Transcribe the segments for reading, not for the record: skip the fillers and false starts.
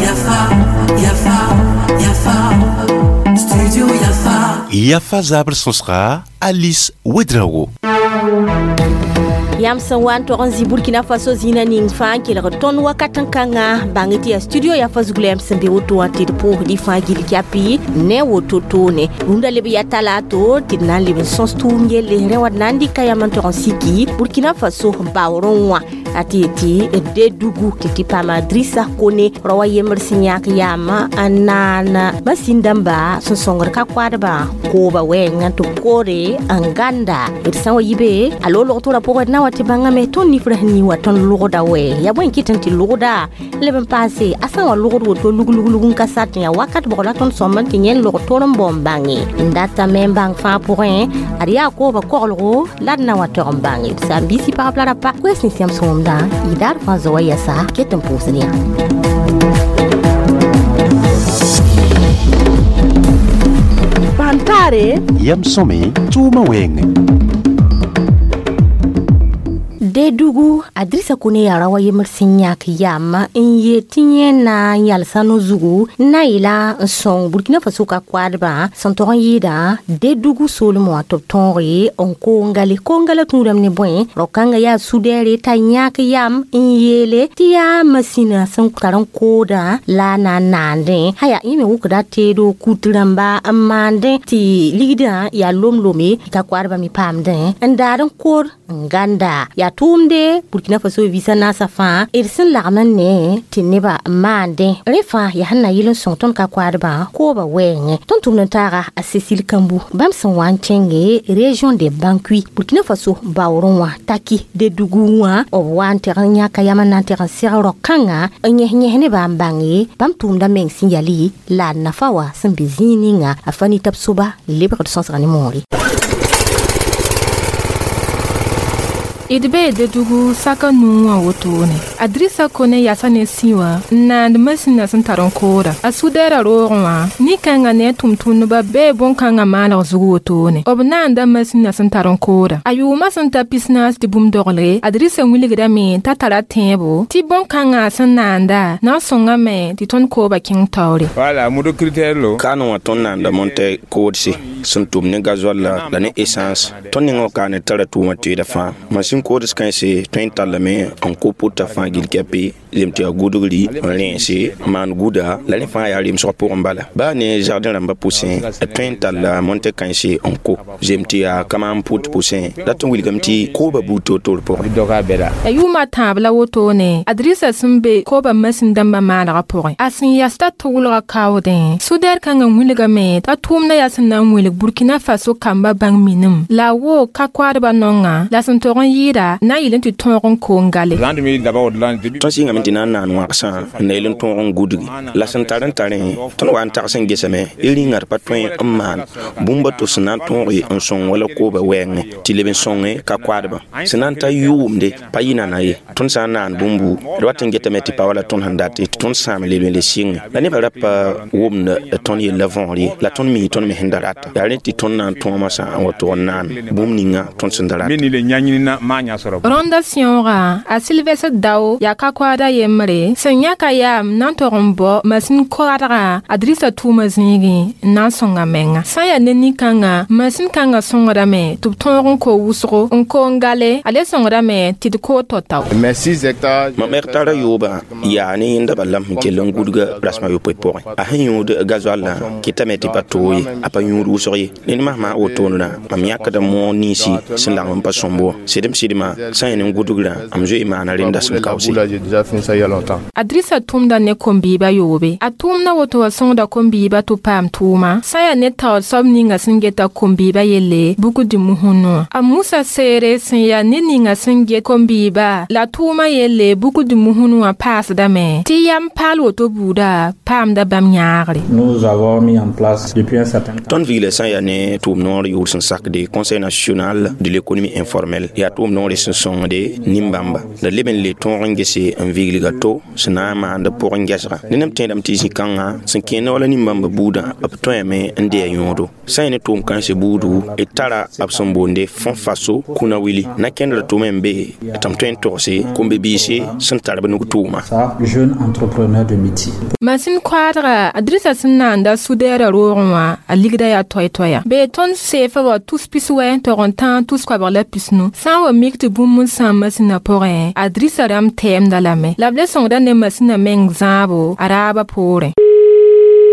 Yafa, Yafa, Yafa, Studio Yafa. Yafa zabr sõsga Alice Ouedraogo. Yãmb sẽn wa n tog n zĩ Burkina Faso zĩnã ning fãa n kelg tõnd wakat n kãnga bãng tɩ yaa studio Yafa zug la yãmb sẽn be woto wã tɩ d pʋʋsd y fãa gill kɛpɩ ne woto toone. Rũndã leb ya talato tɩ d na n leb n sõs tʋʋm yelle rẽ wa d na n dɩka yam n tog n siki Burkina Faso baoorẽ wã a tɩ yetɩ Dedugu tɩ tɩ paama Drissa Kone rao a yembr sẽn yãk yaam n naan masin dãmba sẽn sõngd ka koadbã kooba wɛɛngã tɩ b koore n gãnda d sã wa yi be a loog log-toorã pʋgẽ d na wa tɩ bãngame tõnd nifrã sẽn ning wa tõnd logda wɛ yaa bõe n kɩt n tɩ logda leb n paase a sã n wa logd woto lug lug lug n ka sat n yaa wakat bʋg la tõnd sõmb n tɩ yẽ log tor n bao n bãnge n datame n bãng fãa pʋgẽ ad yaa kooba koglgo la d na wa tog n bãnge d saam-biisi pagb la rapa koɛɛs nins yãmb sẽn wʋmdã y daar fãa zoa yɛsa ket n pʋʋsd yã. Pantare Yam sõme tʋʋmã wɛɛngẽ. Dedugu Adrissa Kone yaa rao a yembr sẽn yãk yam n yet tɩ yẽ na n yalsa no-zugu n na n yeela n sõng Burkina Faso ka koadbã sẽn tog n yɩɩda Dedugu soolem wã tɩ b tõoge n koongale koongala tũudame ne bõe rao-kãngã yaa sudɛɛre t'a yãk yam n yeele tɩ yaa masĩnã sẽn tar n koodã la a na n naandẽ sã yaa yẽ me wʋkda teedo kut rãmba n maandẽ tɩ ligdã yaa lom-lome ka koadbã me paamdẽ n daad n kood n gãnda yaa tʋʋmde Burkina Faso visa naasã fãa d sẽn lagm n ne tɩ nebã maandẽ rẽ fãa yaa sẽn na yɩl n sõng tõnd ka koadbã kooba wɛɛngẽ tõnd tʋmd n taaga a Cécile Kambu bãmb sẽn wa n kẽnge région de Bankui Burkina Faso baoorẽ wã taki Dedugu wã b wa n teg n yãka yam n na n teg n seg rao-kãngã n yẽs-yẽs nebã n bãnge bãmb tʋʋmdã meng sẽn yali la a nafa wã sẽn be zĩig ninga a fa nitab soba lebgd sõsga ne moore. D bee Dedugu saka nuu wã wotone. Adrissa Kone yasa ne sĩ wã n naand masĩnã sẽn tar n kooda. A sudɛɛrã roogẽ wã nin-kãngã ne a tʋm-tʋmdbã bee bõn-kãngã maalg zug wotone. B naanda masĩnã sẽn tar n kooda. A yʋʋmã sẽn ta 40 tɩ bũmb dogle, Adrissa wilgdame t'a tara tẽebo tɩ bõn-kãngã sẽn naanda na n sõngame tɩ tõnd kooba kẽng taoore. Voilà, modo critère lo. Kaane wã tõnd naanda monte koodse sẽn tʋm ne gasoil la ne essence tõnd nengã kaane tara tʋʋmã teeda fãa masin kood kãense tõe n tallame n ko pʋta fãa gill kɛpɩ lem tɩ yaa gudgri n rẽense n maan guda la rẽ fãa yaa remsg pʋgẽ bala baa ne jardin rãmbã pʋsẽ d tõe n talla monte kãense n ko zem tɩ yaa kamaam pʋt pʋsẽ dat n wilgame tɩ kooba buud toor-toor pʋgẽ. Ya yʋʋmã tãab la wotone Adrissa sẽn be kooba masin dãmbã maalgã pʋgẽ a sẽn yas t'a tʋglga kaoodẽ sudɛɛr kãngã wilgame t'a tʋʋmdã yaa sẽn na n wilg Burkina Faso kambã bãng minim la a woog ka koadbã nongã la sẽn tog n yɩɩda na n yɩl n tɩ tõog n koong gale. Tõnd sɩngame tɩ na n naan wãgsã n na yel n tõog n gudgi la sẽn tar n tarẽ tõnd wa n tags n gesame y rĩngã d pa tõe n maan bũmb a to sẽn na n tõoge n sõng wala kooba wɛɛngẽ tɩ leb n sõnge ka koadbã sẽn na n ta yʋʋmde pa yɩ nana ye tõnd sã n naan bũmbu d wat n getame tɩ pa wala tõnd sẽn dat tɩ tõnd sãam leb n le sɩnge la nebã ra pa wʋmd tõnd yella võor ye la tõnd mi tõnd me sẽn da rata yaa rẽ tɩ tõnd na n tõoma sã n wa tog n naan bũmb ninga tõnd sẽn da rata. Rõnda sẽoogã a Sylvestre Dao yaa ka koada yembre sẽn yãka yaam na n tog n bao masin koadgã Adrissa tʋʋmã zĩigẽ n na n sõnga menga sã n yaa ne nin-kãngã masin kãngã sõngdame tɩ b tõog n ko wʋsgo n koong gale a le sõngdame tɩ d kood tao-tao. Mam hectara yoobã yaa ne yẽnda bala sẽn kell n gudga rasem a yopoe pʋgẽ a sẽn yũud gasoil-lã kɩtame tɩ pa toog ye a pa yũud wʋsg ye ned masmã wotondã mam yãkda moog ninsi sẽn lagm n pa sõmb wã sɩdem-sɩdmã sã n yẽ ne gudgrã m zoe maana rẽnda sẽn kaoose. Adrissa tʋmda ne kom-biibã yoobe a tʋʋmdã woto wa sõngda kom-biibã tɩ paam tʋʋma sã n yaa ne taoor soab ninga sẽn geta kom-biibã yelle bugd musũnu wã a Musa Seere sẽn yaa ned ninga sẽn get kom-biibã la tʋʋmã yelle bugd musũnu wã paasdame tɩ yam paal woto buuda paamda bãmb yãagre. Tõnd vigla sã n yaa ne tʋʋm noor yʋʋr sẽn sakde Conseil national de l'économie informelle yaa tʋʋm noore sẽn sõngde nin-bãmba la leb n le tõog tõog n gese n viglga to sẽn na n maand b pʋgẽ gɛsga. Ned m tẽedame tɩ zĩ-kãngã sẽn kẽenda wala nin-bãmba buudã b tõeme n dee yõodo. Sã n ne tʋʋm-kãensã buudu d tara b sẽn boonde fõ faso kũna wili na kẽndr tʋʋm n be tɩ m tõe n togse kom-bi-biise sẽn tar b nug tʋʋma. Jeune entrepreneur de métier. Masin koadga a Drissa sẽn naanda sudɛɛrã roogẽ wã a ligda yaa toay-toaya. Bee tõnd seefa wa tus pis wɛ n tog n tãag tus koabg la pisnu. Sã n wa mik tɩ bũmb n sãam masĩnã pʋgẽ, a Drissa rãmb tɛɛmda lame. La b le sõngda ne masĩnã meng zãabo a raabã poorẽ.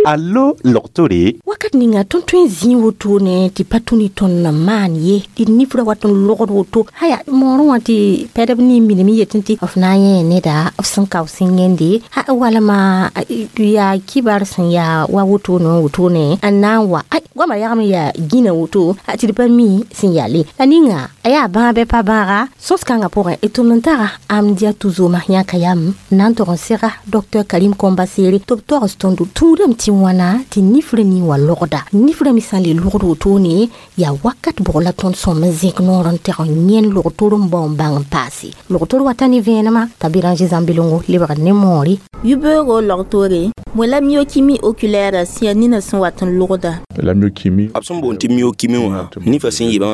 Allo logtore. Wakat ninga tõnd tõe n zĩig wotone tɩ pa tũ ne tõnd n maan ye tɩ nifrã wat n logd woto haya moorẽ wã tɩ pɛdb nin miname yetẽ tɩ f na n yẽ neda f sẽn kao sẽn yẽnde a walma yaa kibar sẽn yaa wa wotone wã wotone n na n wa ay goamã yagm yaa gĩna woto tɩ d pa mi sẽn yaa le la ninga a yaa bãag bɩ pa bãaga sõs-kãngã pʋgẽ d tʋmd n taga Amdia Tuzoma yãka yam n na n tog n sega Dr Karim Kombasere tɩ b togs tõndo tũudame tɩ wãna tɩ nifrã ning wa logda nifrã me sã n le logd wotone yaa wakat bʋg la tõnd sõm n zẽk noor n teg n yẽnd log-tor n bao n bãng n paase log-tor wata ne vẽenemã t'a Béranger Zãmbelongo lebgd ne moore. Yibeoogo log-toore bõe la myokimi oculaire sẽn yaa nina sẽn wat n logda? La myokimi. B sẽn boond tɩ myokimi wã nifã sẽn yɩb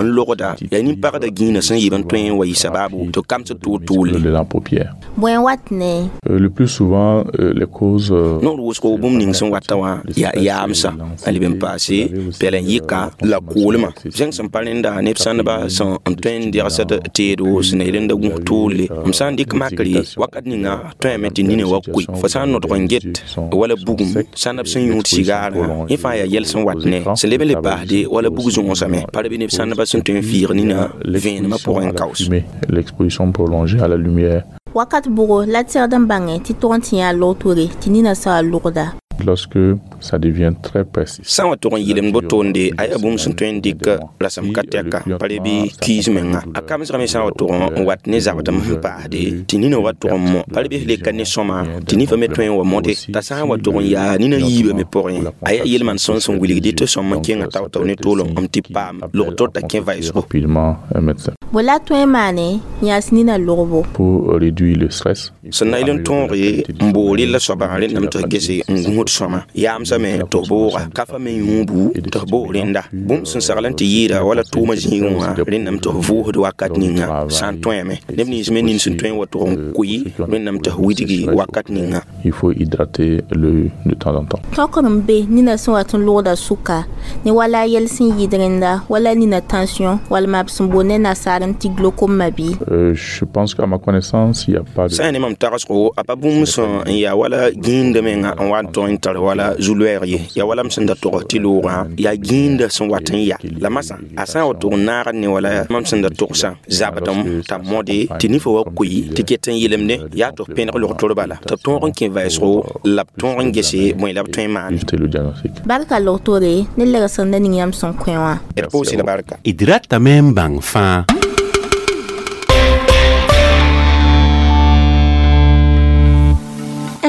n logda yaa nin-pagda gĩinã sẽn yɩb n tõe n wa yɩ sababu tɩ kamsd toor-toorle. De la paupière. Bõe n wat ne? Le plus souvent les causes noor wʋsgo bũmb ning sẽn wata wã yaa yaamsã n leb n paase pɛl n yɩka la koolmã zẽng sẽn pa rẽnda neb sãndba sẽn n tõe n degsd teedo sẽn na yel n da gũs toorle m sã n dɩk makre wakat ninga tõeme tɩ nina wa koe fo sã n nodg n get wala bugum sãnd b sẽn yũud sigaarã yẽ fãa yaa yɛl sẽn wat ne sẽn leb n le paasde wala bug zõosame pa bɩ neb sãndba sẽn tõe n fiig nina vẽenemã pʋgẽ n kaoos. L'exposition prolongée à la lumière. Wakat bʋgo la tẽgd n bãngẽ tɩ tog n tɩ yã log-toore tɩ nina sã wa logda. Lorsque ça devient très précis. Sã n wa tog n yɩlemd botoonde a yaa bũmb sẽn tõe n dɩk rasem ka tɛka pa re bɩ kiis menga a kamsgame sã n wa tog n wat ne zabdem sẽn paasde tɩ nina wa tog n mõ pa re bɩ leka ne sõma tɩ nifã me tõe n wa mõde t'a sã n wa tog n yaa nina yiibame pʋgẽ a yaa yel-maan sõn sẽn wilgd tɩ sõm n kẽnga tao-tao ne toolem n tɩ paam log-tor t'a kẽ vaɩsgo. Rapidement un médecin. Bõe la tõe n maane yãas nina logbo? Pour réduire le stress. Sẽn na yel n tõoge n boor rella soaba rẽndame tɩ f gese n gũsd sõma yaamsame tɩ f booga ka fa me yũubu tɩ f boog rẽnda bũmb sẽn sagl n tɩ yɩɩda wala tʋʋmã zĩigẽ wã rẽndame tɩ f vʋʋsd wakat ninga sã n tõeme neb nins me nin sẽn tõe n wa tʋg n koe rẽndame tɩ f widgi wakat ninga. Il faut hydrater l'œil de temps en temps. Tõkr n be nina sẽn wat n logda sʋka ne wala a yɛl sẽn yɩɩd rẽnda wala nina tension walma b sẽn boond ne nasaar n tɩ glaucome bɩ. Je pense qu'à ma connaissance, il y a pas de sã n ne mam tagsgo a pa bũmb sẽn n yaa wala gĩinde menga n wa n tõe n tar wala zu-loɛɛg ye yaa wala m sẽn da tog tɩ loogã yaa gĩinda sẽn wat n ya la masã a sã n wa tog n naagd ne wala mam sẽn da togsã zabdem t'a mõde tɩ nifã wa koe tɩ ket n yelemde yaa tɩ f pẽneg log-tor bala tɩ b tõog n kẽ vaɩsgo la b tõog n gese bõe la b tõe n maane. Éviter le diagnostic. Barka log-toore ne legsem ning yãmb sẽn kõ wã. D pʋʋs la barka. D ratame n bãng fãa.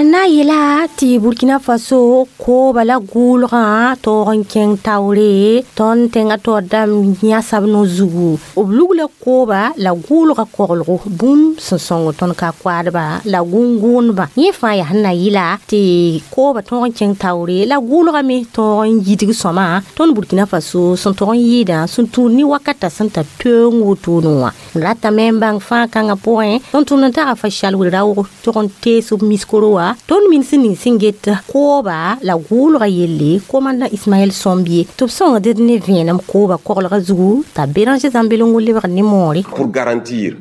Na yela tɩ Burkina Faso kooba la gʋʋlgã taoog n kẽng taoore tõnd tẽngã taoor dãmb yãsab no zugu b lugla kooba la gʋʋlgã koglgo bũmb sẽn sõng tõnd ka koadba la gũn-gʋʋndbã yẽ fãa yaa sẽn na yɩla tɩ kooba tõog n kẽng taoore la gʋʋlgã me tõog n yidg sõma tõnd Burkina Faso sẽn tog n yɩɩdã sẽn tũud ne wakata sẽn tar toeeng wotone wã n ratame n bãng fãa kãngã pʋgẽ tõnd tʋmd n taga fa shal wel-raoog tog n tees b miskoro wã tõnd min sẽn ning sẽn get kooba la gʋʋlgã yelle komandã Ismaɛl Sõmbie tɩ b sõngd d ne vẽenem kooba koglgã zugu t'a Béranger Zãmbelongo lebg ne moore. Pour garantir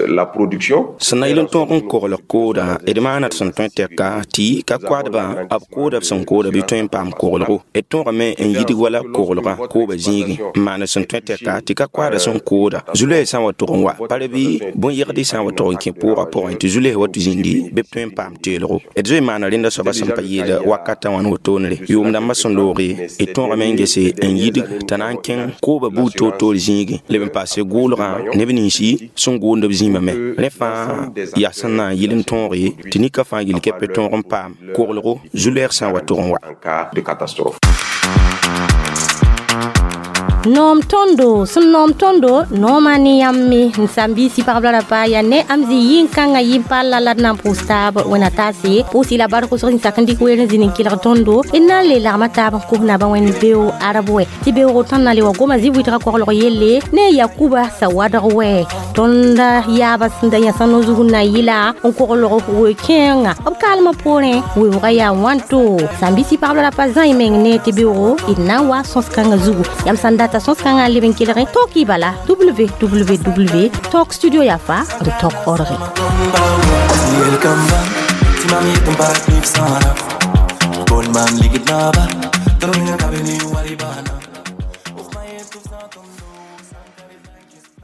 la production. Sẽn na yel n tõog n koglg kooda d maana tɩ sẽn tõe tɛka tɩ ka koadbã b kooda b sẽn kooda bɩ tõe n paam koglgo d tõogame n yidg wala koglgã kooba zĩigẽ n maana sẽn tõe tɛka tɩ ka koada sẽn kooda zu-loɛɛg sã n wa tog n wa pa re bɩ bõn-yegd sã n wa tog n kẽ pʋʋgã pʋgẽ tɩ zu-loɛɛg wa tɩ zĩndi bɩ b tõe n paam teelgo d zoe maana rẽnda soaba sẽn pa yeela wakatã wãn wotoonre yʋʋm dãmbã sẽn looge d tõogame n gese n yidg t'a na n kẽng kooba buud toor-toor zĩigẽ leb n paase gʋʋlgã neb ninsi sẽn gʋʋnd b zĩimã me rẽ fãa yaa sẽn na n yɩl n tõoge tɩ nika fãa yel kɛpɛ tõog n paam koglgo zu-loɛɛg sã n wa tog n wa. En cas de catastrophe. Noom tõndo sẽn noom tõndo noomã ne yãmb me n sãn-biisi pagb la rapa yaa ne am zĩ yĩn-kãngã yĩn-palla la d na n pʋʋs taab wẽna taase pʋʋs la bark wʋsg sẽn sak n dɩk weer n zĩnd n kelg tõndo d na n le lagma taab n kos naba wẽnd beo arab wɛ tɩ beoogo tõnd na le wa goma zĩ wɩtga koglg yelle ne yakuba sawadg wɛ tõnd yaaba sẽn da yãsã no-zug n na yɩla n koglg we-kẽenga b kaalmã poorẽ weoogã yaa wãnto sãn-biisi pagb la rapa zã y meng ne tɩ beoogo d na n wa sõs-kãngã zugu yãmb sãn data sõs-kãngã n leb n kelge tõk y bala www tok studio yafa n tok org. Yel kamba, ti mam yet n paas nif sãana.